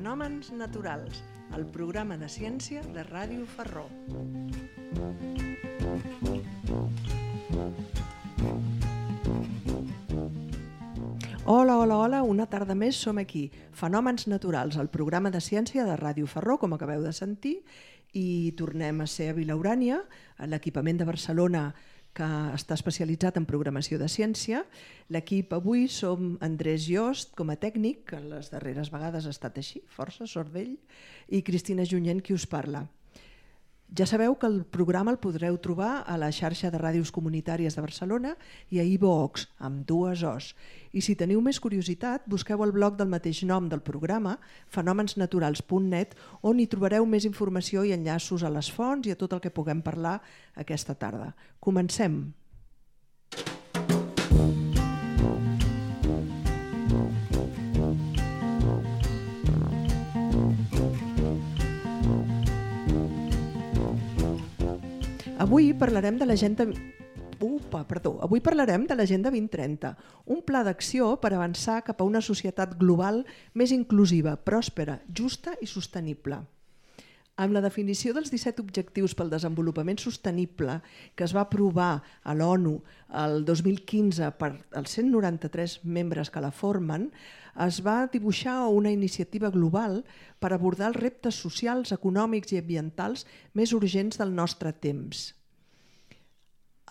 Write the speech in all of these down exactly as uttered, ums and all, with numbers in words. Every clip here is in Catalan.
Fenòmens naturals, el programa de ciència de Ràdio Ferró. Hola, hola, hola, una tarda més som aquí. Fenòmens naturals, el programa de ciència de Ràdio Ferró, com acabeu de sentir, i tornem a ser a Vilaurània, a l'equipament de Barcelona que està especialitzat en programació de ciència. L'equip avui som Andrés Jost com a tècnic, que les darreres vegades ha estat així, força, sort d'ell, i Cristina Junyent, qui us parla. Ja sabeu que el programa el podreu trobar a la xarxa de ràdios comunitàries de Barcelona i a iVoox, amb dues Os. I si teniu més curiositat, busqueu el blog del mateix nom del programa, fenòmens naturals punt net, on hi trobareu més informació i enllaços a les fonts i a tot el que puguem parlar aquesta tarda. Comencem! Avui parlarem de l'Agenda Upa, perdó. Avui parlarem de l'Agenda vint trenta, un pla d'acció per avançar cap a una societat global més inclusiva, pròspera, justa i sostenible. Amb la definició dels disset Objectius pel Desenvolupament Sostenible que es va aprovar a l'ONU el dos mil quinze per als cent noranta-tres membres que la formen, es va dibuixar una iniciativa global per abordar els reptes socials, econòmics i ambientals més urgents del nostre temps.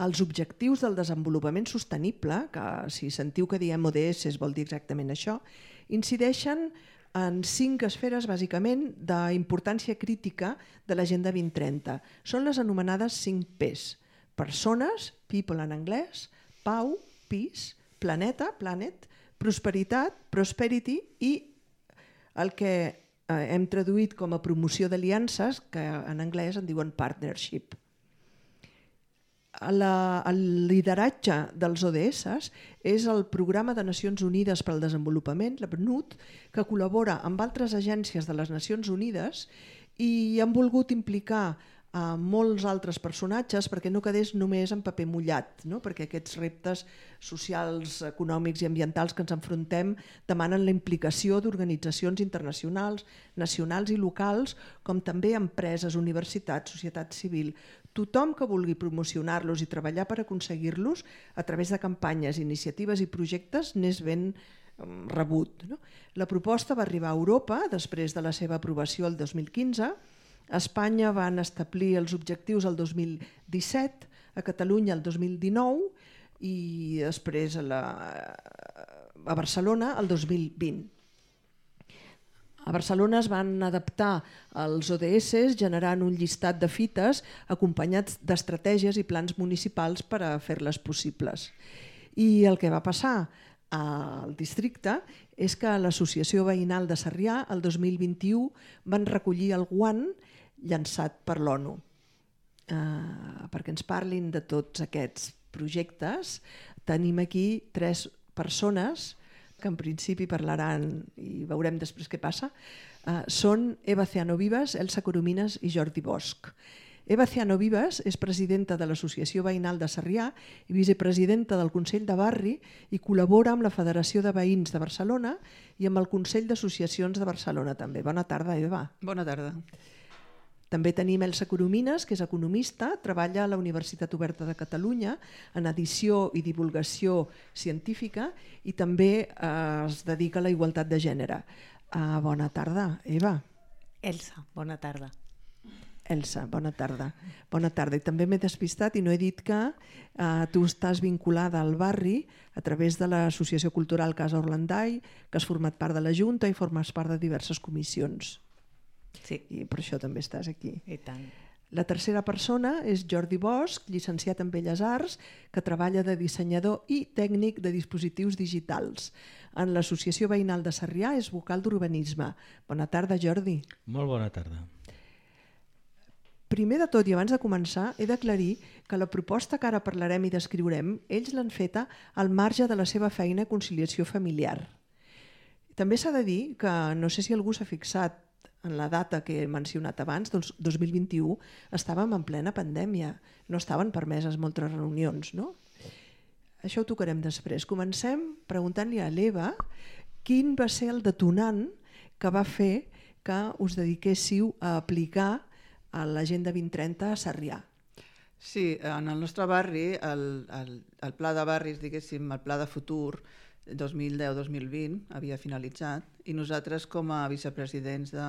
Els Objectius del Desenvolupament Sostenible, que si sentiu que diem O D S vol dir exactament això, incideixen en cinc esferes bàsicament d'importància crítica de l'Agenda vint trenta. Són les anomenades cinc P's. Persones, people en anglès, pau, peace, planeta, planet, prosperitat, prosperity i el que hem traduït com a promoció d'aliances, que en anglès en diuen partnership. La, el lideratge dels O D S és el Programa de Nacions Unides per al Desenvolupament, la P N U D, que col·labora amb altres agències de les Nacions Unides i han volgut implicar a molts altres personatges perquè no quedés només en paper mullat, no? Perquè aquests reptes socials, econòmics i ambientals que ens enfrontem demanen la implicació d'organitzacions internacionals, nacionals i locals, com també empreses, universitats, societat civil, tothom que vulgui promocionar-los i treballar per aconseguir-los a través de campanyes, iniciatives i projectes n'és ben rebut. No? La proposta va arribar a Europa després de la seva aprovació el dos mil quinze. A Espanya van establir els objectius el dos mil disset, a Catalunya el dos mil dinou i després a, la, a Barcelona el dos mil vint. A Barcelona es van adaptar els O D S generant un llistat de fites acompanyats d'estratègies i plans municipals per a fer-les possibles. I el que va passar al districte és que l'Associació Veïnal de Sarrià el dos mil vint-i-u van recollir el guant llançat per l'ONU. Uh, perquè ens parlin de tots aquests projectes, tenim aquí tres persones que en principi parlaran i veurem després què passa. Uh, són Eva Ciano-Vives, Elsa Coromines i Jordi Bosch. Eva Ciano-Vives és presidenta de l'Associació Veïnal de Sarrià i vicepresidenta del Consell de Barri i col·labora amb la Federació de Veïns de Barcelona i amb el Consell d'Associacions de Barcelona també. Bona tarda, Eva. Bona tarda. També tenim Elsa Coromines, que és economista, treballa a la Universitat Oberta de Catalunya en edició i divulgació científica i també eh, es dedica a la igualtat de gènere. Uh, bona tarda, Eva. Elsa, bona tarda. Elsa, bona tarda. Bona tarda. I també m'he despistat i no he dit que eh, tu estàs vinculada al barri a través de l'Associació Cultural Casa Orlandai, que has format part de la Junta i formes part de diverses comissions. Sí. I per això també estàs aquí. I tant. La tercera persona és Jordi Bosch, llicenciat en Belles Arts, que treballa de dissenyador i tècnic de dispositius digitals. En l'Associació Veïnal de Sarrià és vocal d'urbanisme. Bona tarda, Jordi. Molt bona tarda. Primer de tot i abans de començar he d'aclarir que la proposta que ara parlarem i descriurem ells l'han feta al marge de la seva feina a conciliació familiar. També s'ha de dir que no sé si algú s'ha fixat en la data que he mencionat abans, doncs dos mil vint-i-u, estàvem en plena pandèmia, no estaven permeses moltes reunions, no? Això ho tocarem després. Comencem preguntant-li a l'Eva quin va ser el detonant que va fer que us dediquéssiu a aplicar a l'Agenda vint trenta a Sarrià. Sí, en el nostre barri, el, el, el pla de barris, diguéssim, el pla de futur dos mil deu dos mil vint havia finalitzat i nosaltres com a vicepresidents, de,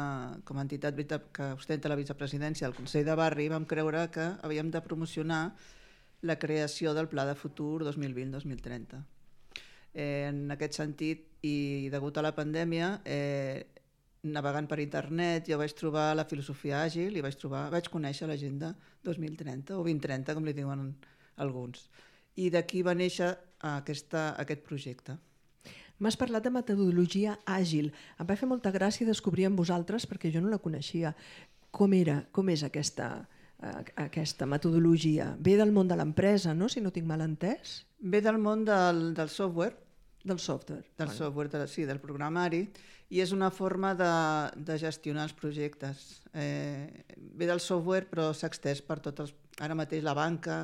com a entitat que ostenta la vicepresidència del Consell de Barri, vam creure que havíem de promocionar la creació del pla de futur dos mil vint dos mil trenta. Eh, en aquest sentit, i degut a la pandèmia, eh, navegant per internet, jo vaig trobar la filosofia àgil i vaig, trobar, vaig conèixer l'agenda dos mil trenta o vint trenta, com li diuen alguns. I d'aquí va néixer aquesta, aquest projecte. M'has parlat de metodologia àgil. Em va fer molta gràcia descobrir en vosaltres, perquè jo no la coneixia. Com era, com és aquesta, aquesta metodologia? Ve del món de l'empresa, no? Si no tinc mal entès? Ve del món del, del software, Del software. del Vale. software, de, sí, del programari, i és una forma de, de gestionar els projectes. Eh, ve del software però s'ha estès per tots els... Ara mateix la banca,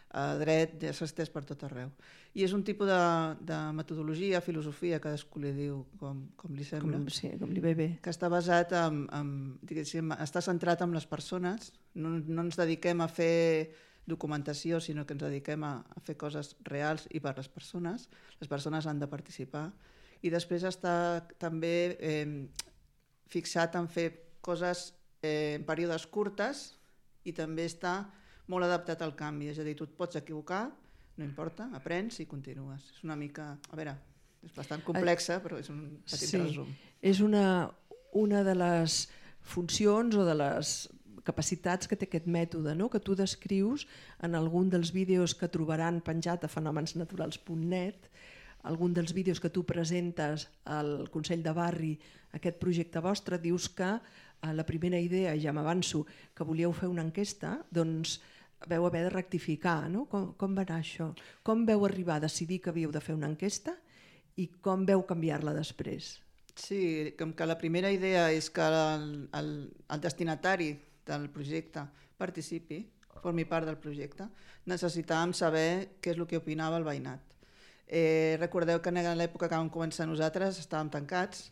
eh, dret, ja s'ha estès per tot arreu. I és un tipus de, de metodologia, filosofia, cadascú li diu com, com li sembla. Com, sí, com li ve bé. Que està basat en, en diguéssim, està centrat en les persones, no, no ens dediquem a fer documentació, sinó que ens dediquem a, a fer coses reals i per les persones. Les persones han de participar. I després està també eh, fixat en fer coses eh, en períodes curtes i també està molt adaptat al canvi. És a dir, tu et pots equivocar, no importa, aprens i continues. És una mica... A veure, és bastant complexa, però és un petit sí. resum. És una, una de les funcions o de les capacitats que té aquest mètode, no? Que tu descrius en algun dels vídeos que trobaran penjat a fenomensnaturals punt net, algun dels vídeos que tu presentes al Consell de Barri, aquest projecte vostre, dius que a la primera idea, ja m'avanço, que volíeu fer una enquesta, doncs veu haver de rectificar, no? Com, com va anar això? Com veu arribar a decidir que havíeu de fer una enquesta i com veu canviar-la després? Sí, com que la primera idea és que el, el, el destinatari del projecte participi, formi part del projecte, necessitàvem saber què és el que opinava el veïnat. Eh, recordeu que en l'època que vam començar nosaltres estàvem tancats,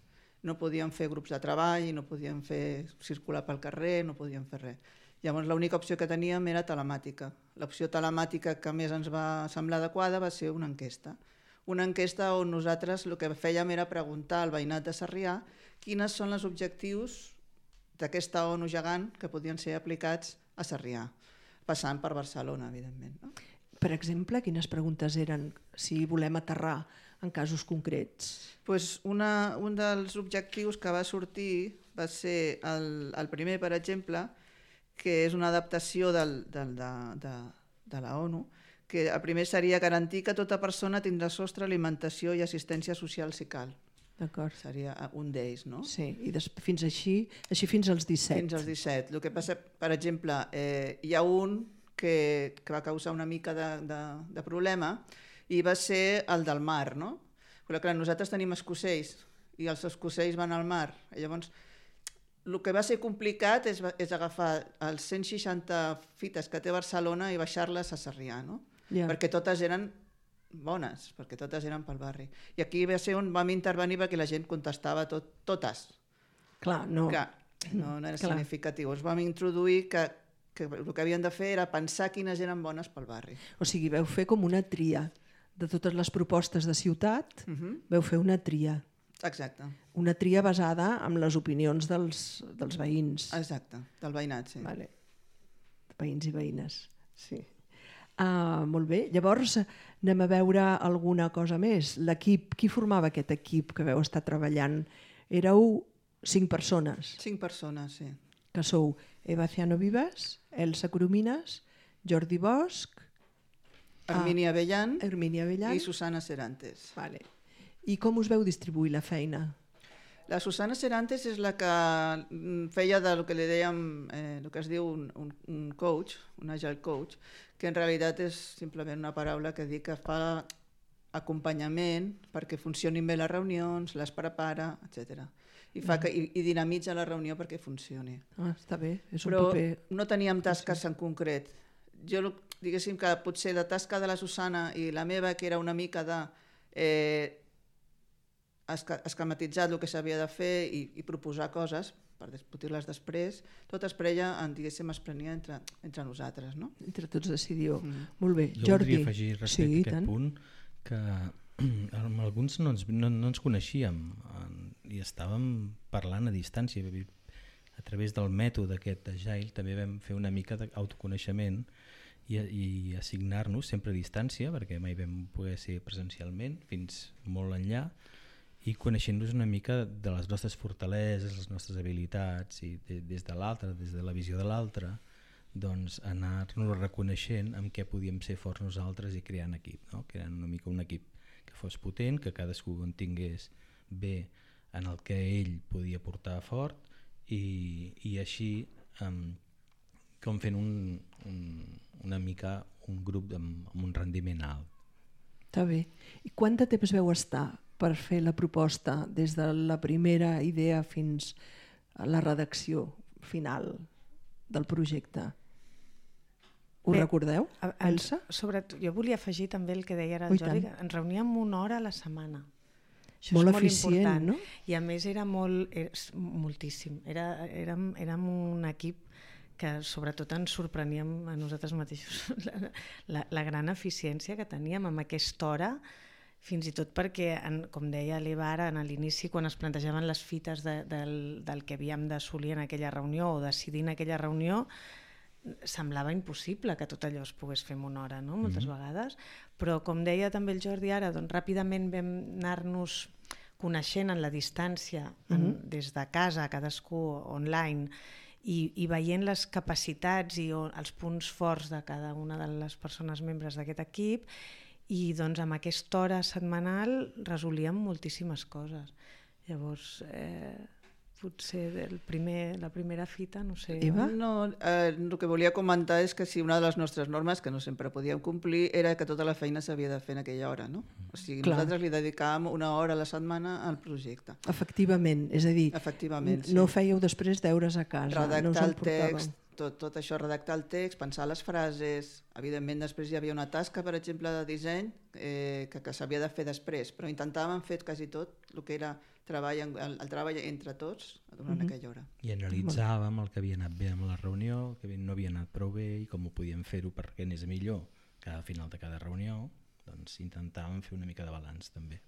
no podíem fer grups de treball, no podíem fer circular pel carrer, no podíem fer res. Llavors l'única opció que teníem era telemàtica. L'opció telemàtica que més ens va semblar adequada va ser una enquesta. Una enquesta on nosaltres el que fèiem era preguntar al veïnat de Sarrià quines són els objectius d'aquesta ONU gegant que podien ser aplicats a Sarrià, passant per Barcelona, evidentment. No? Per exemple, quines preguntes eren si volem aterrar en casos concrets? Pues una, un dels objectius que va sortir va ser el, el primer, per exemple, que és una adaptació del, del, de, de, de la ONU, que el primer seria garantir que tota persona tindrà sostre, alimentació i assistència social si cal. D'acord. Seria un d'ells, no? Sí, i des, fins així, així fins als disset. Fins als disset. El que passa, per exemple, eh, hi ha un que, que va causar una mica de, de, de problema i va ser el del mar, no? Però clar, nosaltres tenim escocells i els escocells van al mar. I llavors, el que va ser complicat és, és agafar els cent seixanta fites que té Barcelona i baixar-les a Sarrià, no? Yeah. Perquè totes eren bones, perquè totes eren pel barri. I aquí va ser on vam intervenir perquè la gent contestava tot, totes. Clar, no. Clar, no, no era Clar. significatiu. Ens vam introduir que, que el que havien de fer era pensar quines eren bones pel barri. O sigui, veu fer com una tria. De totes les propostes de ciutat, Uh -huh. veu fer una tria. Exacte, Una tria basada en les opinions dels, dels veïns. exacte, del veïnat, sí. Vale. Veïns i veïnes. Sí. Ah, molt bé. Llavors anem a veure alguna cosa més. L'equip, qui formava aquest equip que veu estar treballant? Éreu cinc persones, Cinc persones, sí. que sou Eva Ciano Vives, Elsa Coromines, Jordi Bosch, Hermínia Bellan Hermínia Bellan. i Susana Serantes. Vale. I com us veu distribuir la feina? La Susana Serantes és la que mm, feia del que li dèiem, eh, el que es diu un, un, un coach, un agile coach, que en realitat és simplement una paraula que diu que fa acompanyament perquè funcionin bé les reunions, les prepara, etcètera. I, fa que, i, i dinamitza la reunió perquè funcioni. Ah, està bé, és un Però paper... no teníem tasques en concret. Jo, diguéssim que potser la tasca de la Susana i la meva, que era una mica de eh, esca esquematitzar el que s'havia de fer i, i proposar coses, per discutir-les després, tot es preia, diguéssim, es prenia entre, entre nosaltres, no? Entre tots decidiu. Mm. Molt bé. Jo Jordi. voldria afegir respecte sí, a aquest tant. punt que amb alguns no ens, no, no ens coneixíem i estàvem parlant a distància. A través del mètode aquest Agile també vam fer una mica d'autoconeixement i, i assignar-nos sempre a distància, perquè mai vam poder ser presencialment fins molt enllà, i coneixent-nos una mica de les nostres fortaleses, les nostres habilitats, i de, des de l'altre, des de la visió de l'altre, doncs anar-nos reconeixent amb què podíem ser forts nosaltres i creant equip, no? Creant una mica un equip que fos potent, que cadascú en tingués bé en el que ell podia portar fort i, i així um, com fent un, un, una mica un grup amb, amb un rendiment alt. Està bé. I quant de temps veu estar per fer la proposta des de la primera idea fins a la redacció final del projecte? Ho Bé, recordeu, a- a- Elsa? Sobretot, jo volia afegir també el que deia ara Oh, el i Jordi, tant. que ens reuníem una hora a la setmana. Això Molt és molt eficient, important. no? I a més era molt, era, moltíssim. Era, érem, érem un equip que sobretot ens sorpreníem a nosaltres mateixos la, la, la gran eficiència que teníem amb aquesta hora, fins i tot perquè, en, com deia l'Eva ara, a l'inici, quan es plantejaven les fites de, del, del que havíem d'assolir en aquella reunió o decidir en aquella reunió, semblava impossible que tot allò es pogués fer en una hora, no? Moltes mm-hmm. vegades, però com deia també el Jordi ara, doncs ràpidament vam anar-nos coneixent en la distància, en, mm-hmm. des de casa, cadascú online, i, i veient les capacitats i o, els punts forts de cada una de les persones membres d'aquest equip, i doncs amb aquesta hora setmanal resolíem moltíssimes coses. Llavors, eh, potser el primer, la primera fita, no sé... Eva? No, eh, el que volia comentar és que si una de les nostres normes, que no sempre podíem complir, era que tota la feina s'havia de fer en aquella hora, no? O sigui, Clar. nosaltres li dedicàvem una hora a la setmana al projecte. Efectivament, és a dir, Efectivament, sí. no fèieu després deures a casa, Redactar no us el emportàveu. text, tot, tot això, redactar el text, pensar les frases. Evidentment, després hi havia una tasca, per exemple, de disseny eh, que, que s'havia de fer després, però intentàvem fer quasi tot el que era treball, el, el treball entre tots durant mm-hmm. aquella hora. I analitzàvem el que havia anat bé amb la reunió, el que no havia anat prou bé i com ho podíem fer-ho perquè anés millor cada final de cada reunió. Doncs intentàvem fer una mica de balanç també.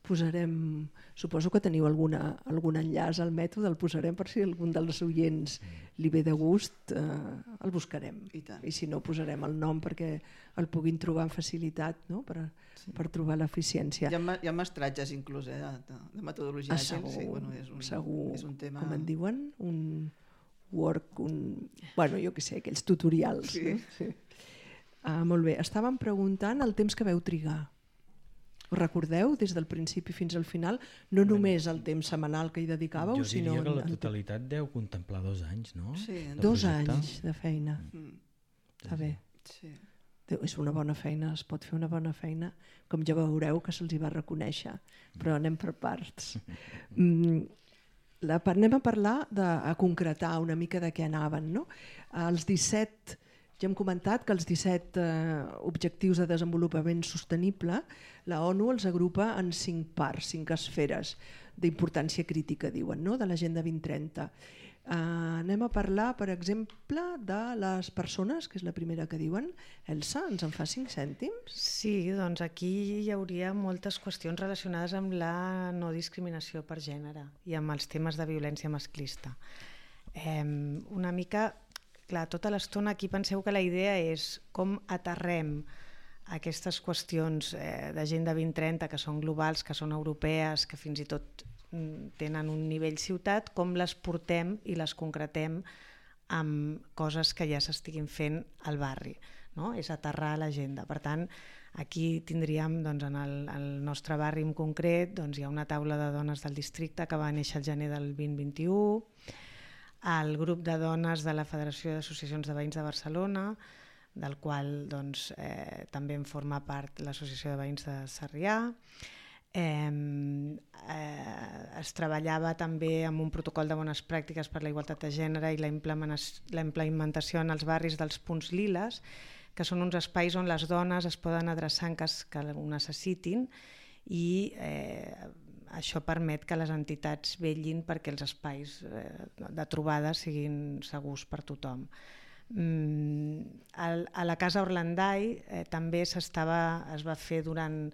Posarem, suposo que teniu alguna, algun enllaç al mètode, el posarem per si algun dels oients li ve de gust, eh, el buscarem. I tant. I si no, posarem el nom perquè el puguin trobar amb facilitat, no? per, Sí. per trobar l'eficiència. Hi ha, ma- hi ha mestratges inclús eh, de, de, de metodologia Ah, àgil. segur, Sí, bueno, és un, segur, és un tema... com en diuen, un work, un... bueno, jo què sé, aquells tutorials. Sí. No? Sí. Ah, molt bé, estàvem preguntant el temps que veu trigar. Ho recordeu des del principi fins al final? No només el temps setmanal que hi dedicàveu, Jo sinó... diria que la en- en- totalitat deu contemplar dos anys, no? Sí, De Dos projecte. anys de feina. Mm, Està bé. sí. Déu, és una bona feina, es pot fer una bona feina, com ja veureu que se'ls hi va reconèixer, però anem per parts. Mm, la, anem a parlar, de, a concretar una mica de què anaven. No? Els disset, ja hem comentat que els disset eh, objectius de desenvolupament sostenible, la ONU els agrupa en cinc parts, cinc esferes d'importància crítica, diuen, no? De l'Agenda vint trenta. Uh, anem a parlar, per exemple, de les persones, que és la primera que diuen. Elsa, ens en fa cinc cèntims? Sí, doncs aquí hi hauria moltes qüestions relacionades amb la no discriminació per gènere i amb els temes de violència masclista. Eh, una mica, clar, tota l'estona aquí penseu que la idea és com aterrem aquestes qüestions eh, d'Agenda vint trenta que són globals, que són europees, que fins i tot tenen un nivell ciutat, com les portem i les concretem amb coses que ja s'estiguin fent al barri, no? És aterrar l'agenda. Per tant, aquí tindríem, doncs, en el, el nostre barri en concret, doncs, hi ha una taula de dones del districte que va néixer el gener del vint vint-i-u, el grup de dones de la Federació d'Associacions de Veïns de Barcelona, del qual doncs, eh, també en forma part l'Associació de Veïns de Sarrià. Eh, eh, es treballava també amb un protocol de bones pràctiques per la igualtat de gènere i la implementació en els barris dels punts liles, que són uns espais on les dones es poden adreçar en cas que ho necessitin i eh, això permet que les entitats vetllin perquè els espais eh, de trobada siguin segurs per tothom. Mm, a la Casa Orlandai eh, també s'estava, es va fer durant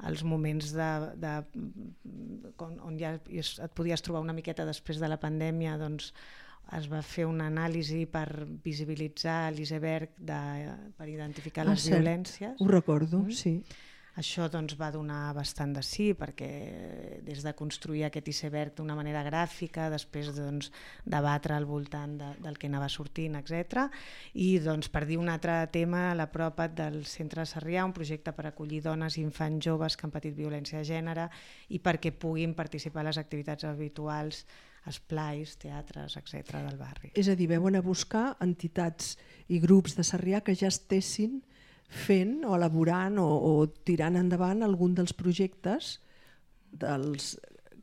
els moments de, de, on ja et podies trobar una miqueta després de la pandèmia, doncs es va fer una anàlisi per visibilitzar l'iceberg per identificar ah, les cert. violències. Ho recordo, mm? sí. Això doncs, va donar bastant de sí, perquè des de construir aquest iceberg d'una manera gràfica, després doncs, debatre al voltant de, del que anava sortint, etcètera. I doncs, per dir un altre tema, a la Propat del Centre de Sarrià, un projecte per acollir dones i infants joves que han patit violència de gènere i perquè puguin participar a les activitats habituals, esplais, teatres, etcètera del barri. És a dir, veuen a buscar entitats i grups de Sarrià que ja estessin fent o elaborant o, o tirant endavant algun dels projectes dels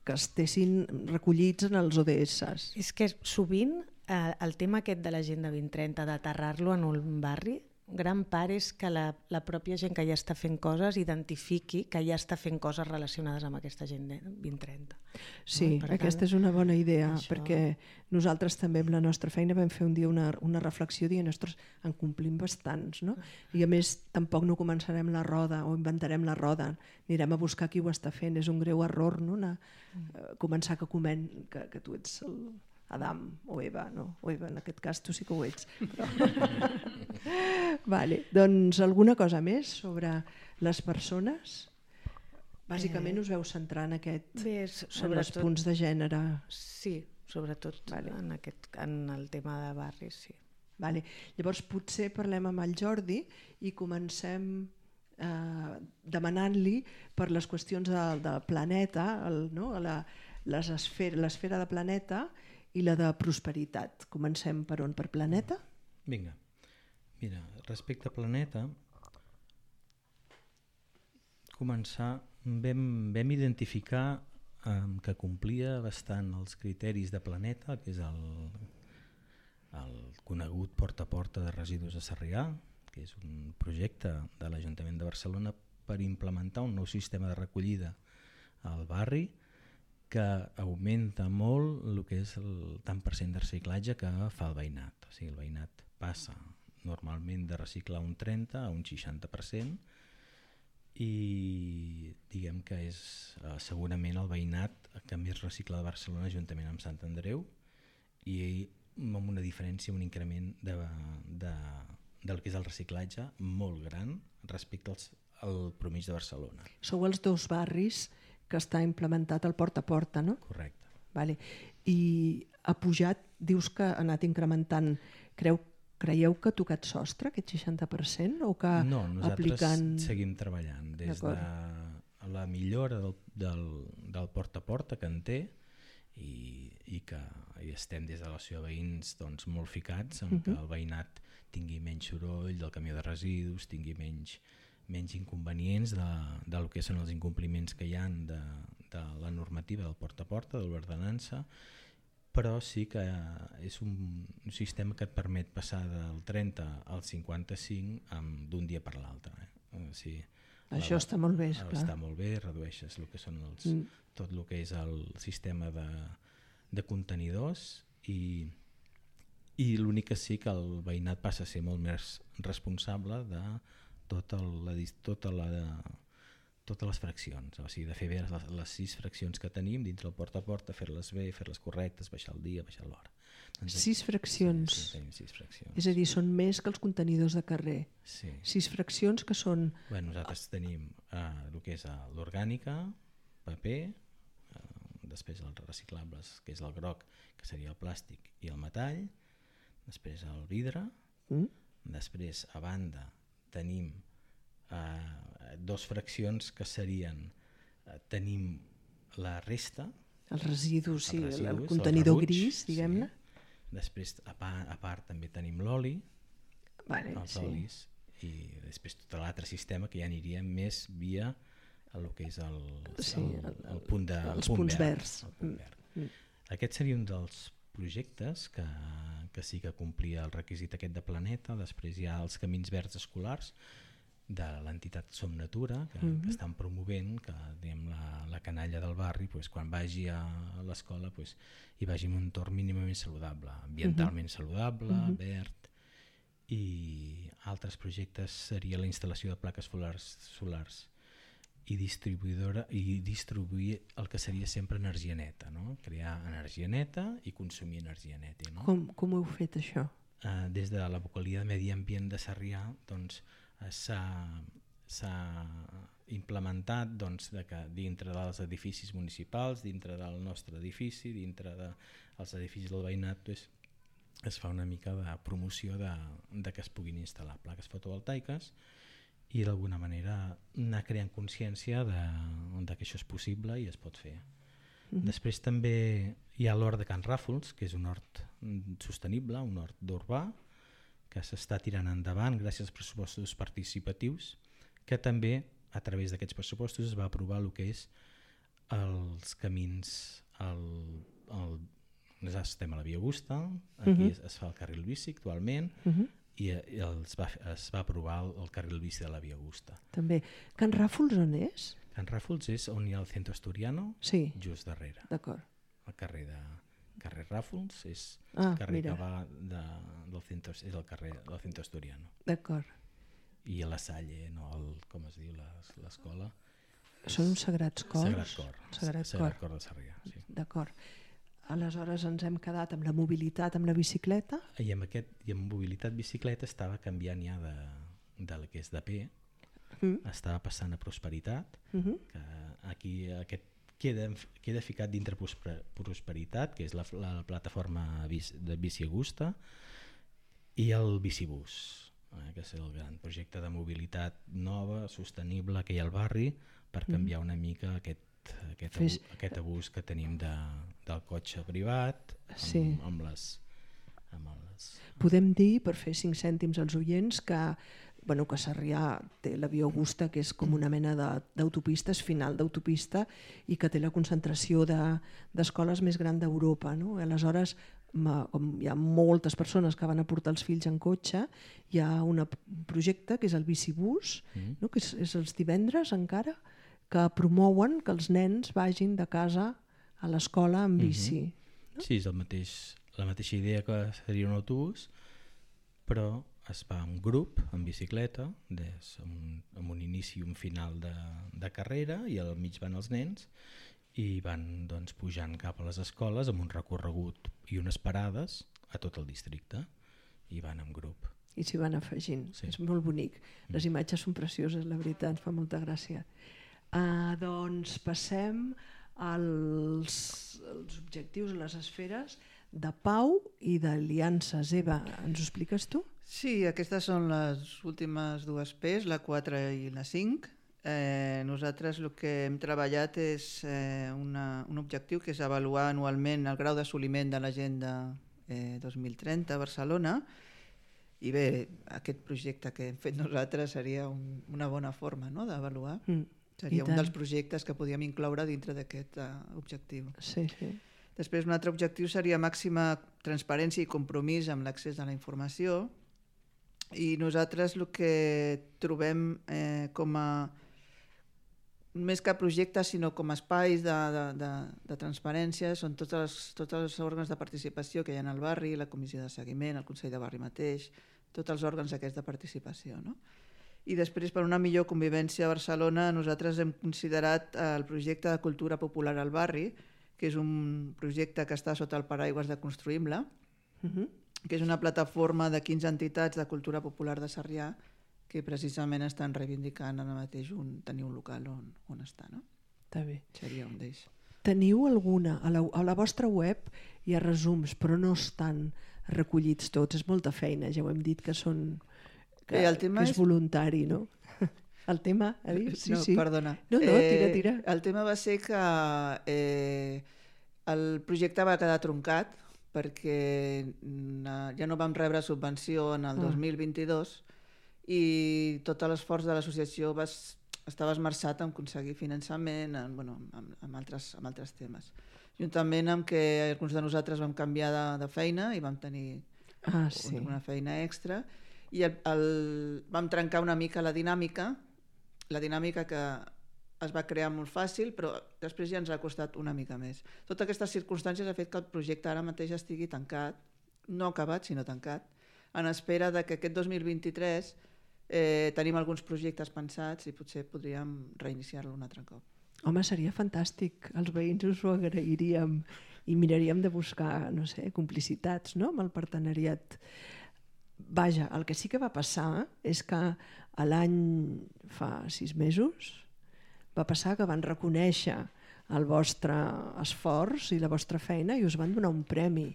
que estessin recollits en els O D S. És que sovint eh, el tema aquest de l'Agenda vint trenta, d'aterrar-lo en un barri, gran part és que la, la pròpia gent que ja està fent coses identifiqui que ja està fent coses relacionades amb aquesta Agenda vint trenta. Sí, no? aquesta tant, és una bona idea, això... perquè nosaltres també amb la nostra feina vam fer un dia una, una reflexió dient, ostres, en complim bastants, no? I a més tampoc no començarem la roda o inventarem la roda, anirem a buscar qui ho està fent, és un greu error, no? Una, uh, començar que, comen, que, que tu ets el Adam o Eva, no? O Eva, en aquest cas tu sí que ho ets. Però... vale, doncs alguna cosa més sobre les persones? Bàsicament us veu centrar en, aquest, Bé, en els punts de gènere. Sí, sobretot vale. en, aquest, en el tema de barris, sí. Vale. Llavors potser parlem amb el Jordi i comencem eh, demanant-li per les qüestions del de planeta, el, no? la, l'esfera de planeta i la de prosperitat. Comencem per on? Per planeta? Vinga. Mira, respecte a planeta, començar, vam, vam identificar eh, que complia bastant els criteris de planeta, que és el, el conegut porta a porta de residus de Sarrià, que és un projecte de l'Ajuntament de Barcelona per implementar un nou sistema de recollida al barri que augmenta molt el que és el tant per cent de reciclatge que fa el veïnat. O sigui, el veïnat passa normalment de reciclar un trenta a un seixanta per cent i diguem que és eh, segurament el veïnat que més recicla de Barcelona juntament amb Sant Andreu i amb una diferència, un increment de, de, del que és el reciclatge molt gran respecte als, al promís de Barcelona. Sou els dos barris que està implementat el porta a porta, no? Correcte. Vale. I ha pujat, dius que ha anat incrementant, creu, creieu que ha tocat sostre, aquest seixanta per cent? O que no, nosaltres aplicant... seguim treballant des de la millora del, del, del porta a porta que en té i, i que i estem des de l'associació de veïns doncs, molt ficats en uh -huh. que el veïnat tingui menys soroll del camió de residus, tingui menys menys inconvenients de, de lo que són els incompliments que hi ha de, de la normativa del porta a porta, de l'ordenança, però sí que és un, un sistema que et permet passar del trenta al cinquanta-cinc d'un dia per l'altre. Eh? O sigui, això la, està molt bé, esclar. Està molt bé, redueixes el que són els, mm. tot el que és el sistema de, de contenidors i, i l'únic que sí que el veïnat passa a ser molt més responsable de tota la, tota la, totes les fraccions, o sigui, de fer bé les, les sis fraccions que tenim dins del porta a porta, fer-les bé, fer-les correctes, baixar el dia, baixar l'hora. Doncs, sis fraccions. Sí, sí, tenim sis fraccions. És a dir, són més que els contenidors de carrer. Sí. Sis fraccions que són... Bueno, nosaltres tenim uh, el que és uh, l'orgànica, paper, uh, després els reciclables, que és el groc, que seria el plàstic, i el metall, després el vidre, mm. després a banda tenim eh, dos fraccions que serien eh, tenim la resta, els residus, sí, els residus, el contenidor rebuig, gris, diguem-ne. Sí. Després a part, a part també tenim l'oli, vale, els sí. olis, i després tot l'altre sistema que ja aniria més via el que és el, sí, el, el, el punt de, els el punt punts verd, verds. el punt verd. Mm. Aquest seria un dels projectes que, que sí que complia el requisit aquest de planeta. Després hi ha els camins verds escolars de l'entitat Som Natura, que, mm-hmm. que estan promovent que diguem, la, la canalla del barri, pues, quan vagi a l'escola, pues, hi vagi en un entorn mínimament saludable, ambientalment mm-hmm. saludable, mm-hmm. verd, i altres projectes seria la instal·lació de plaques solars, solars i distribuïdora i distribuir el que seria sempre energia neta, no? Crear energia neta i consumir energia neta. No? Com, com ho heu fet, això? Uh, des de la vocalia de Medi Ambient de Sarrià doncs, uh, s'ha implementat doncs, de que dintre dels edificis municipals, dintre del nostre edifici, dintre dels edificis del veïnat, doncs, es fa una mica de promoció de, de que es puguin instal·lar plaques fotovoltaiques i d'alguna manera anar creant consciència de, de que això és possible i es pot fer. Mm-hmm. Després també hi ha l'hort de Can Ràfols, que és un hort sostenible, un hort d'urbà, que s'està tirant endavant gràcies als pressupostos participatius, que també a través d'aquests pressupostos es va aprovar el que és els camins, el, el, nosaltres estem a la Via Augusta, aquí uh-huh. es, es fa el carril bici actualment, uh-huh. i, i es, va, es va aprovar el, el carril bici de la Via Augusta. També. Can Ràfols on és? Can Ràfols és on hi ha el Centro Asturiano, sí. just darrere. D'acord. El carrer de carrer Ràfols és ah, el carrer mira. que va de, del centro, és el carrer del Centro Asturiano. D'acord. I a la Salle, no, el, com es diu l'escola? Són uns sagrats cors? Sagrat Cor. Sagrat, Sagrat Cor de Sarrià, sí. D'acord. Aleshores ens hem quedat amb la mobilitat, amb la bicicleta. I amb, aquest, i amb mobilitat bicicleta estava canviant ja de, del que és de P, mm. estava passant a Prosperitat, mm-hmm. que aquí aquest queda, queda ficat dintre Prosperitat, que és la, la plataforma de Bici Augusta, i el Bicibús, eh, que és el gran projecte de mobilitat nova, sostenible que hi ha al barri, per canviar una mica aquest Aquest, Fes... aquest abús que tenim de, del cotxe privat amb, sí. amb les, amb les... Podem dir, per fer cinc cèntims als oients, que, bueno, que Sarrià té la Via Augusta, que és com una mena d'autopista, és final d'autopista, i que té la concentració d'escoles de, més gran d'Europa. No? Aleshores, com hi ha moltes persones que van a portar els fills en cotxe, hi ha un projecte que és el Bicibús, mm. no? que és, és els divendres encara, que promouen que els nens vagin de casa a l'escola amb bici. Mm-hmm. No? Sí, és el mateix, la mateixa idea que seria un autobús, però es va en grup, en bicicleta, des, amb, un, amb un inici i un final de, de carrera, i al mig van els nens, i van doncs, pujant cap a les escoles amb un recorregut i unes parades a tot el districte, i van en grup. I s'hi van afegint, sí. És molt bonic. Les imatges són precioses, la veritat, fa molta gràcia. Uh, doncs passem als, als objectius, les esferes de pau i d'aliances. Eva, ens ho expliques tu? Sí, aquestes són les últimes dues P's, la quatre i la cinc. Eh, nosaltres el que hem treballat és eh, una, un objectiu que és avaluar anualment el grau d'assoliment de l'agenda eh, dos mil trenta a Barcelona. I bé, aquest projecte que hem fet nosaltres seria un, una bona forma, no?, d'avaluar. Mm. Seria un dels projectes que podíem incloure dintre d'aquest uh, objectiu. Sí, sí. Després, un altre objectiu seria màxima transparència i compromís amb l'accés a la informació. I nosaltres el que trobem eh, com a, més que projectes, sinó com a espais de, de, de, de transparència, són tots els, tots els òrgans de participació que hi ha al barri, la comissió de seguiment, el Consell de Barri mateix, tots els òrgans aquests de participació, no? I després, per una millor convivència a Barcelona, nosaltres hem considerat el projecte de cultura popular al barri, que és un projecte que està sota el paraigües de Construïm-la, uh-huh. que és una plataforma de quinze entitats de cultura popular de Sarrià que precisament estan reivindicant ara mateix un, tenir un local on, on estar. No? Està bé. Seria un d'ells. Teniu alguna? A la, a la vostra web hi ha resums, però no estan recollits tots. És molta feina, ja ho hem dit que són... Que, el tema que és, és voluntari, no? El tema, ha dit? Sí, no, sí. Perdona. No, no, tira, tira. Eh, el tema va ser que eh, el projecte va quedar truncat perquè ja no vam rebre subvenció en el ah. dos mil vint-i-dos i tot l'esforç de l'associació va, estava esmerçat en aconseguir finançament en, bueno, en, en, altres, en altres temes. Juntament amb que alguns de nosaltres vam canviar de, de feina i vam tenir ah, sí. una feina extra. i el, el, vam trencar una mica la dinàmica, la dinàmica que es va crear molt fàcil, però després ja ens ha costat una mica més. Totes aquestes circumstàncies ha fet que el projecte ara mateix estigui tancat, no acabat, sinó tancat, en espera de que aquest dos mil vint-i-tres eh, tenim alguns projectes pensats i potser podríem reiniciar-lo un altre cop. Home, seria fantàstic. Els veïns us ho agrairíem i miraríem de buscar, no sé, complicitats, no?, amb el partenariat. Vaja, el que sí que va passar és que l'any fa sis mesos va passar que van reconèixer el vostre esforç i la vostra feina i us van donar un premi.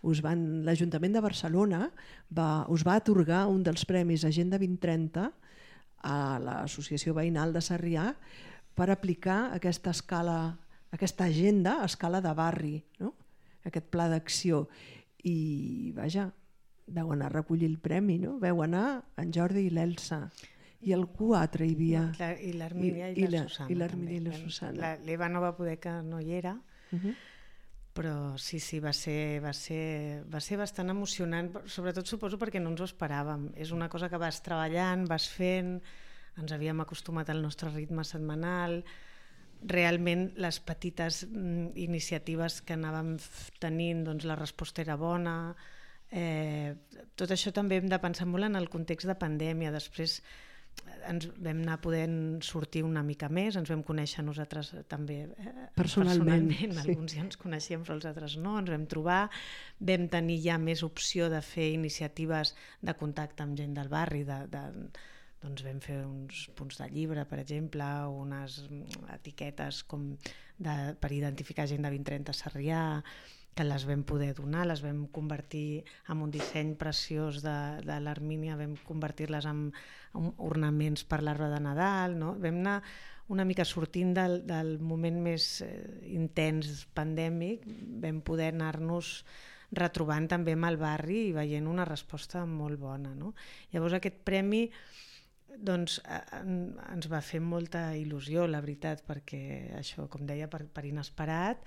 Us van, l'Ajuntament de Barcelona va, us va atorgar un dels premis Agenda vint trenta a l'Associació Veïnal de Sarrià per aplicar aquesta escala, aquesta agenda a escala de barri, no? Aquest pla d'acció. I, vaja, veu anar a recollir el premi, no? Veu anar en Jordi i l'Elsa. I algú altre hi havia. La, I l'Armínia i, I, i la, la Susana. I l'Armínia i la Susana. L'Eva no va poder, que no hi era, uh -huh. però sí, sí, va ser, va, ser, va ser bastant emocionant, sobretot suposo perquè no ens ho esperàvem. És una cosa que vas treballant, vas fent, ens havíem acostumat al nostre ritme setmanal, realment les petites mm, iniciatives que anàvem tenint, doncs la resposta era bona. Eh, tot això també hem de pensar molt en el context de pandèmia. Després ens vam anar podent sortir una mica més, ens vam conèixer nosaltres també eh, personalment, personalment. Sí. Alguns ja ens coneixíem però els altres no, ens vam trobar, vam tenir ja més opció de fer iniciatives de contacte amb gent del barri, de, de, doncs vam fer uns punts de llibre, per exemple, unes etiquetes com de, per identificar Agenda vint trenta Sarrià, que les vam poder donar, les vam convertir en un disseny preciós de, de l'Armínia, vam convertir-les en, en ornaments per l'arbre de Nadal, no? Vam anar una mica sortint del, del moment més eh, intens pandèmic, vam poder anar-nos retrobant també amb el barri i veient una resposta molt bona, no? Llavors aquest premi doncs ens va fer molta il·lusió, la veritat, perquè això, com deia, per, per inesperat,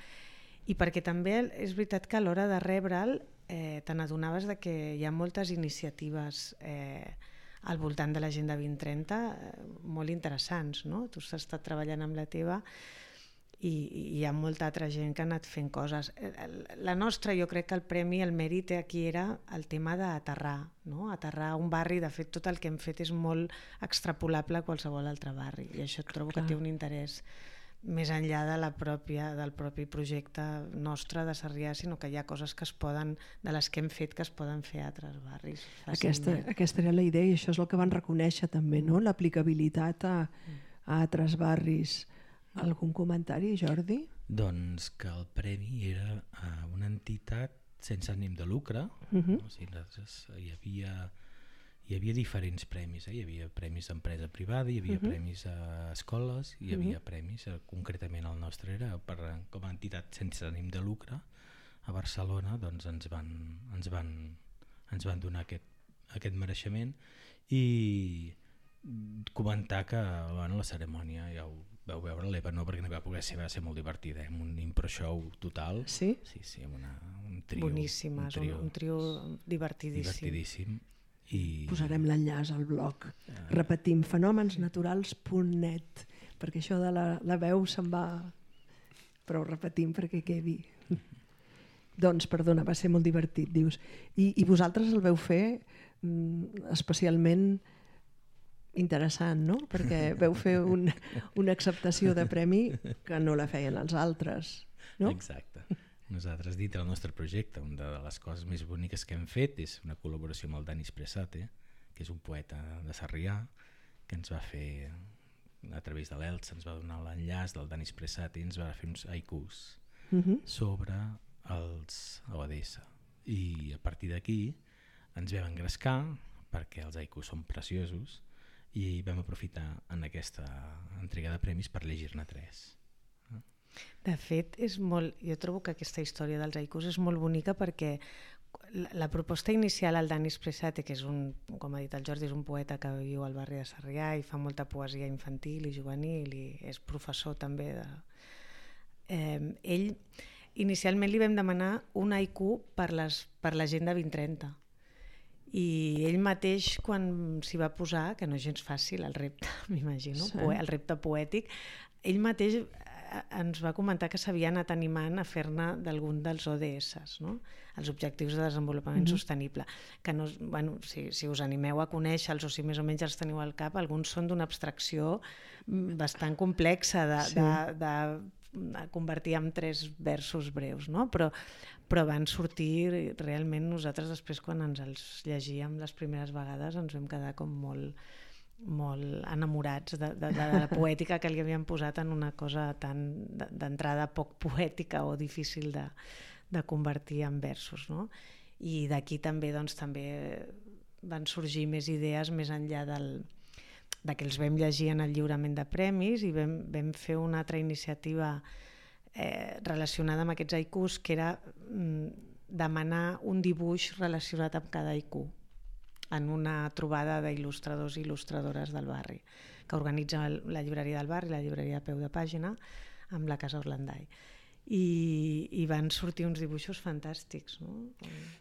i perquè també és veritat que a l'hora de rebre'l eh, te n'adonaves de que hi ha moltes iniciatives eh, al voltant de l'Agenda vint trenta eh, molt interessants, no? Tu has estat treballant amb la teva i, i hi ha molta altra gent que ha anat fent coses. La nostra, jo crec que el premi, el mèrit aquí era el tema d'aterrar, no? Aterrar un barri. De fet, tot el que hem fet és molt extrapolable a qualsevol altre barri i això trobo Clar. que té un interès més enllà de la pròpia, del propi projecte nostre de Sarrià, sinó que hi ha coses que es poden, de les que hem fet, que es poden fer a altres barris. Aquesta, aquesta era la idea i això és el que van reconèixer també, no? L'aplicabilitat a, a altres barris. Algun comentari, Jordi? Doncs que el premi era a una entitat sense ànim de lucre. Uh-huh. No? O sigui, hi havia... Hi havia diferents premis, eh? Hi havia premis d'empresa privada, hi havia uh-huh. premis a escoles, hi havia uh-huh. premis, eh, concretament el nostre era per, com a entitat sense ànim de lucre a Barcelona, doncs ens van, ens van, ens van donar aquest, aquest mereixement i comentar que bueno, la cerimònia ja ho vau veure, l'Eva no, perquè no va poder ser, va ser molt divertida, eh? Un impro show total. Sí? Sí, sí, amb una, un trio. Boníssima, un trio, un trio divertidíssim. Divertidíssim. I... Posarem l'enllaç al blog. Uh... Repetim, fenomensnaturals punt net, perquè això de la, la veu se'n va... Però ho repetim perquè quedi. Doncs, perdona, va ser molt divertit, dius. I, i vosaltres el veu fer mm, especialment interessant, no? Perquè veu fer un, una acceptació de premi que no la feien els altres, no? Exacte. Nosaltres, dit el nostre projecte, una de les coses més boniques que hem fet és una col·laboració amb el Dani Espressate, que és un poeta de Sarrià, que ens va fer, a través de l'Elsa, ens va donar l'enllaç del Dani Espressate i ens va fer uns haikus uh-huh. sobre els O D S. I a partir d'aquí ens vam engrescar, perquè els haikus són preciosos, i vam aprofitar en aquesta entrega de premis per llegir-ne tres. De fet, és molt, jo trobo que aquesta història dels haikus és molt bonica perquè la, la proposta inicial al Dani Espressate, que és un, com ha dit el Jordi, és un poeta que viu al barri de Sarrià i fa molta poesia infantil i juvenil i és professor també de... Eh, ell, inicialment li vam demanar un haiku per les, per l'Agenda vint trenta I ell mateix, quan s'hi va posar, que no és gens fàcil el repte, m'imagino, Sí. el repte poètic, ell mateix ens va comentar que s'havia anat animant a fer-ne d'algun dels O D S, no? Els Objectius de Desenvolupament mm-hmm. Sostenible, que no, bueno, si, si us animeu a conèixer-los o si més o menys els teniu al cap, alguns són d'una abstracció bastant complexa de, sí. de, de, de convertir en tres versos breus, no? Però, però van sortir realment, nosaltres després quan ens els llegíem les primeres vegades ens vam quedar com molt molt enamorats de, de, de la poètica que li havien posat en una cosa tan d'entrada poc poètica o difícil de, de convertir en versos, no? I d'aquí també, doncs, també van sorgir més idees més enllà del, de que els vam llegir en el lliurament de premis i vam, vam fer una altra iniciativa eh, relacionada amb aquests haikus, que era mm, demanar un dibuix relacionat amb cada haiku en una trobada d'il·lustradors i il·lustradores del barri, que organitza la llibreria del barri, la llibreria a peu de pàgina, amb la Casa Orlandai. I, i van sortir uns dibuixos fantàstics, no?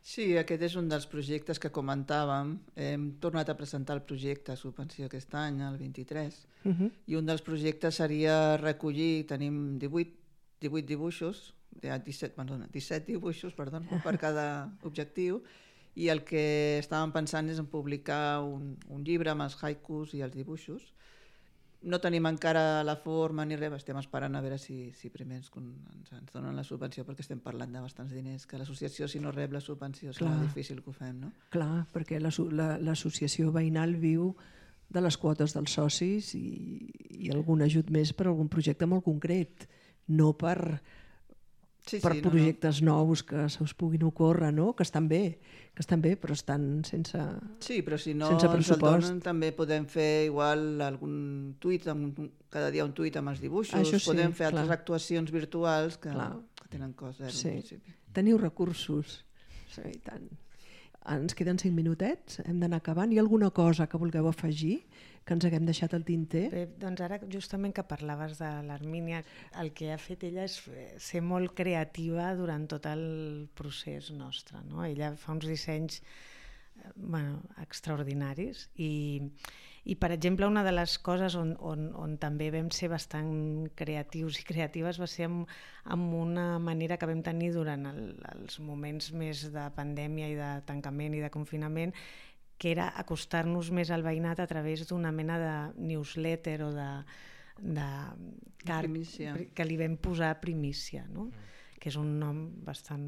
Sí, aquest és un dels projectes que comentàvem. Hem tornat a presentar el projecte a subvenció aquest any, el vint-i-tres, uh-huh. i un dels projectes seria recollir, tenim divuit, divuit dibuixos, disset, perdona, disset dibuixos perdó, per cada objectiu, i el que estàvem pensant és en publicar un, un llibre amb els haikus i els dibuixos. No tenim encara la forma ni res, estem esperant a veure si, si primer ens, ens, ens donen la subvenció, perquè estem parlant de bastants diners, que l'associació, si no rep la subvenció, serà Clar. difícil que ho fem, no? Clar, perquè l'associació la, la, veïnal viu de les quotes dels socis i, i algun ajut més per algun projecte molt concret, no per... Sí, per sí, projectes no, no. nous que se us puguin ocórrer, no? Que estan bé, que estan bé, però estan sense Sí, però si no ens el donen, també podem fer igual algun tuit, cada dia un tuit amb els dibuixos, sí, podem fer altres clar. actuacions virtuals que, que tenen cost zero. Sí. Teniu recursos, sí, i tant. Ens queden cinc minutets, hem d'anar acabant. Hi ha alguna cosa que vulgueu afegir, que ens haguem deixat al tinter? Bé, doncs ara, justament que parlaves de l'Armínia, el que ha fet ella és ser molt creativa durant tot el procés nostre, no? Ella fa uns dissenys bueno, extraordinaris i, i, per exemple, una de les coses on, on, on també vam ser bastant creatius i creatives va ser amb, amb una manera que vam tenir durant el, els moments més de pandèmia i de tancament i de confinament, que era acostar-nos més al veïnat a través d'una mena de newsletter o de, de card que li vam posar Primícia, no? Mm. que és un nom bastant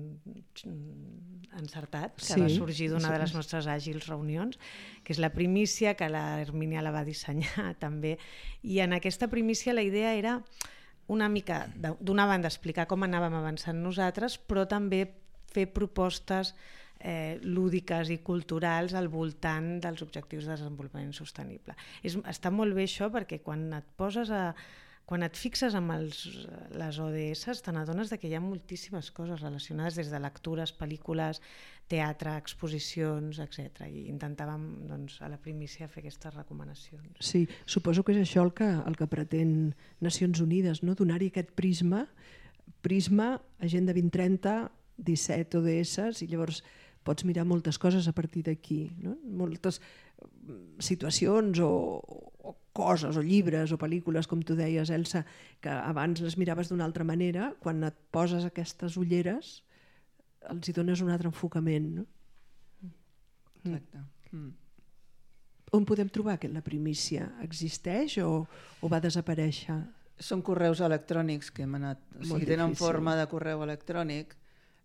encertat, que sí, va sorgir d'una sí, de les nostres àgils reunions, que és la Primícia, que la Hermínia la va dissenyar també. I en aquesta Primícia la idea era una mica, d'una banda, explicar com anàvem avançant nosaltres, però també fer propostes eh, lúdiques i culturals al voltant dels objectius de desenvolupament sostenible. És, està molt bé això perquè quan et poses a Quan et fixes amb els, les O D S, te n'adones que hi ha moltíssimes coses relacionades des de lectures, pel·lícules, teatre, exposicions, etcètera. I intentàvem, doncs, a la Primícia fer aquestes recomanacions. Sí, suposo que és això el que, el que pretén Nacions Unides, no? Donar-hi aquest prisma, prisma, Agenda vint trenta, disset O D S, i llavors pots mirar moltes coses a partir d'aquí, no? Moltes situacions o, o coses, o llibres, o pel·lícules, com tu deies, Elsa, que abans les miraves d'una altra manera, quan et poses aquestes ulleres els hi dones un altre enfocament, no? Exacte. Mm. On podem trobar que la Primícia? Existeix o, o va desaparèixer? Són correus electrònics que hem anat... O sigui, tenen forma de correu electrònic.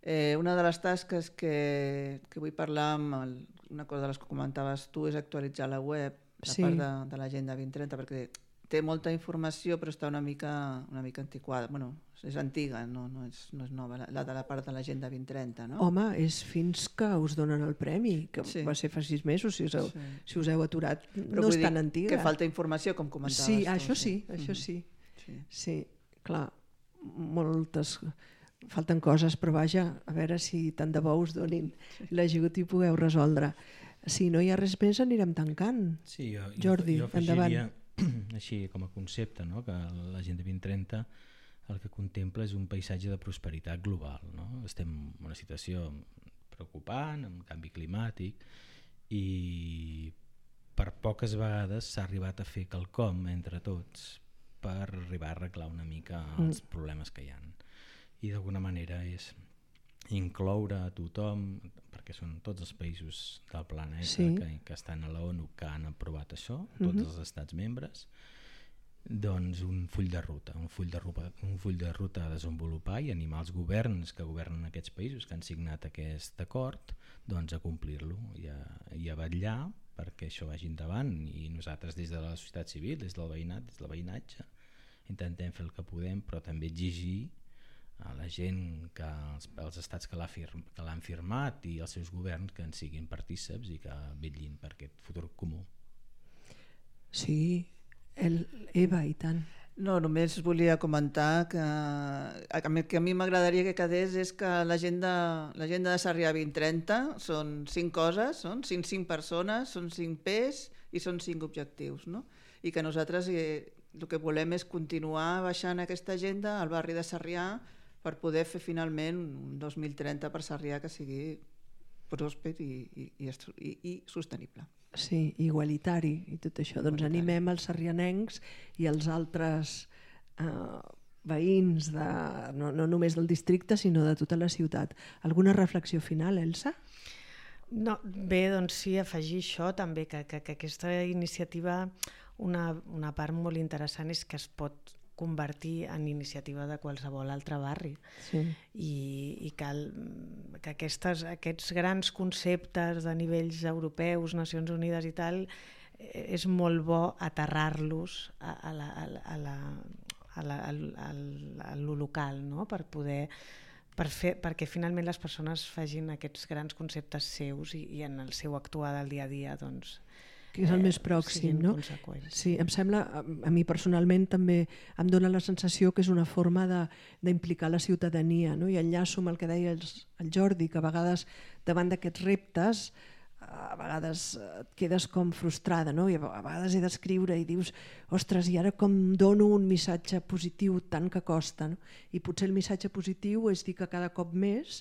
Eh, una de les tasques que, que vull parlar amb el, una cosa de les que comentaves tu és actualitzar la web, la sí. part de, de l'Agenda vint trenta, perquè té molta informació però està una mica, una mica antiquada. Bueno, és antiga, no, no, és, no és nova, la, la de la part de l'Agenda vint trenta, no? Home, és fins que us donen el premi, que sí. va ser fa sis mesos, si us heu, sí. si us heu aturat, però no és tan antiga. Que falta informació, com comentaves sí, tu. Això sí, sí. això sí. sí. Sí, clar, moltes... Falten coses, però vaja, a veure si tant de bo us donin sí. l'ajut i pugueu resoldre. Si no hi ha res més, anirem tancant. Sí, jo, Jordi, jo, jo endavant. Així com a concepte, no? Que l'Agenda vint trenta el que contempla és un paisatge de prosperitat global. No? Estem en una situació preocupant, amb canvi climàtic, i per poques vegades s'ha arribat a fer quelcom entre tots per arribar a arreglar una mica els mm. problemes que hi ha. I d'alguna manera és incloure a tothom, perquè són tots els països del planeta sí. que, que estan a l'ONU que han aprovat això, tots mm-hmm. els estats membres, doncs un full de ruta, un full de ruta, un full de ruta a desenvolupar i animar els governs que governen aquests països que han signat aquest acord doncs a complir-lo i a, i a vetllar perquè això vagi endavant, i nosaltres des de la societat civil, des del veïnat, des del veïnatge intentem fer el que podem, però també exigir a la gent, que els, els estats que l'han firm, firmat i els seus governs que en siguin partíceps i que vetllin per aquest futur comú. Sí, el, Eva, i tant. No, només volia comentar que, que a mi m'agradaria que quedés és que l'agenda l'agenda de Sarrià vint trenta són cinc coses, són cinc, cinc persones, són cinc P's i són cinc objectius, no? I que nosaltres eh, el que volem és continuar baixant aquesta agenda al barri de Sarrià per poder fer finalment un dos mil trenta per Sarrià que sigui pròsper i, i, i, i, i sostenible. Sí, igualitari i tot això. Igualitari. Doncs animem els sarrianencs i els altres eh, veïns, de, no, no només del districte, sinó de tota la ciutat. Alguna reflexió final, Elsa? No, bé, doncs sí, afegir això també, que, que, que aquesta iniciativa, una, una part molt interessant és que es pot convertir en iniciativa de qualsevol altre barri sí. I, i cal que aquestes, aquests grans conceptes de nivells europeus, Nacions Unides i tal, és molt bo aterrar-los a, a, la, a, la, a, la, a, la, a lo local, no? Per poder per fer, perquè finalment les persones facin aquests grans conceptes seus i, i en el seu actuar del dia a dia doncs que és el més pròxim, no? Sí, em sembla, a mi personalment també em dona la sensació que és una forma d'implicar la ciutadania, no? I enllaço amb el que deia el, el Jordi, que a vegades davant d'aquests reptes a vegades et quedes com frustrada, no? I a vegades he d'escriure i dius, ostres, i ara com dono un missatge positiu tant que costa, no? I potser el missatge positiu és dir que cada cop més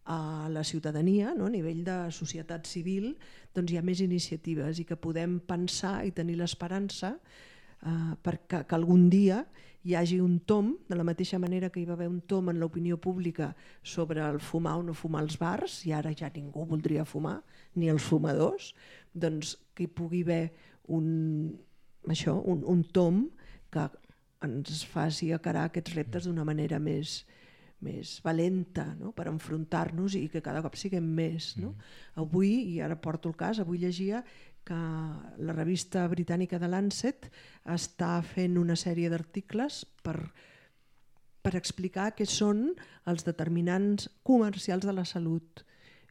a la ciutadania, no? A nivell de societat civil, doncs hi ha més iniciatives i que podem pensar i tenir l'esperança eh, perquè que algun dia hi hagi un tom, de la mateixa manera que hi va haver un tom en l'opinió pública sobre el fumar o no fumar als bars, i ara ja ningú voldria fumar, ni els fumadors, doncs que hi pugui haver un, això, un, un tom que ens faci encarar aquests reptes d'una manera més més valenta, no? Per enfrontar-nos i que cada cop siguem més. No? Mm. Avui, i ara porto el cas, avui llegia que la revista britànica de Lancet està fent una sèrie d'articles per, per explicar què són els determinants comercials de la salut.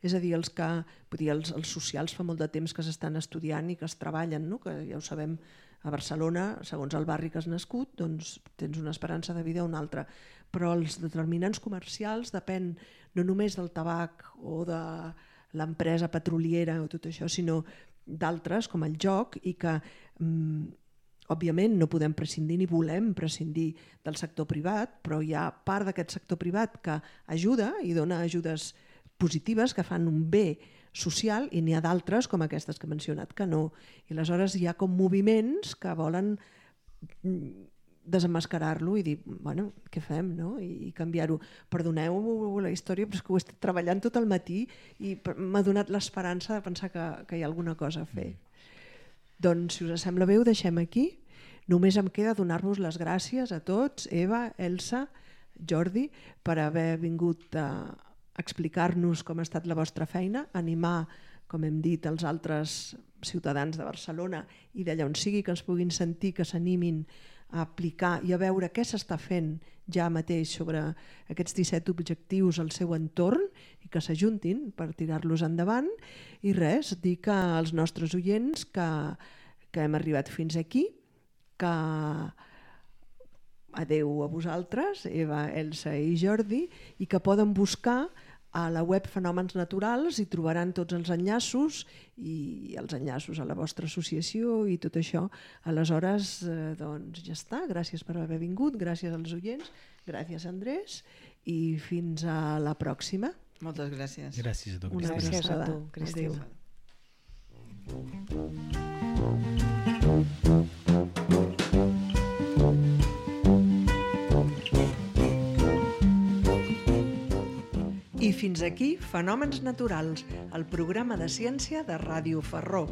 És a dir, els, que, vull dir, els, els socials fa molt de temps que s'estan estudiant i que es treballen, no? Que ja ho sabem, a Barcelona, segons el barri que has nascut, doncs tens una esperança de vida o una altra. Però els determinants comercials depèn no només del tabac o de l'empresa petroliera o tot això, sinó d'altres com el joc, i que mm, òbviament no podem prescindir ni volem prescindir del sector privat, però hi ha part d'aquest sector privat que ajuda i dona ajudes positives que fan un bé social, i n'hi ha d'altres com aquestes que he mencionat que no. I aleshores hi ha com moviments que volen desemmascarar-lo i dir, bueno, què fem, no? I, i canviar-ho. Perdoneu la història, però és que ho he estat treballant tot el matí i m'ha donat l'esperança de pensar que, que hi ha alguna cosa a fer. Mm. Doncs, si us sembla bé, ho deixem aquí. Només em queda donar-vos les gràcies a tots, Eva, Elsa, Jordi, per haver vingut a explicar-nos com ha estat la vostra feina, animar, com hem dit, els altres ciutadans de Barcelona i d'allà on sigui que ens puguin sentir, que s'animin a aplicar i a veure què s'està fent ja mateix sobre aquests disset objectius al seu entorn i que s'ajuntin per tirar-los endavant. I res, dir que als nostres oients que, que hem arribat fins aquí, que adeu a vosaltres, Eva, Elsa i Jordi, i que poden buscar a la web Fenòmens Naturals i trobaran tots els enllaços i els enllaços a la vostra associació i tot això. Aleshores, eh, doncs ja està. Gràcies per haver vingut, gràcies als oients, gràcies Andrés i fins a la pròxima. Moltes gràcies. Gràcies a tu, Cristina. Gràcies a tu, Cristina. Adéu. I fins aquí Fenòmens Naturals, el programa de ciència de Ràdio Ferró.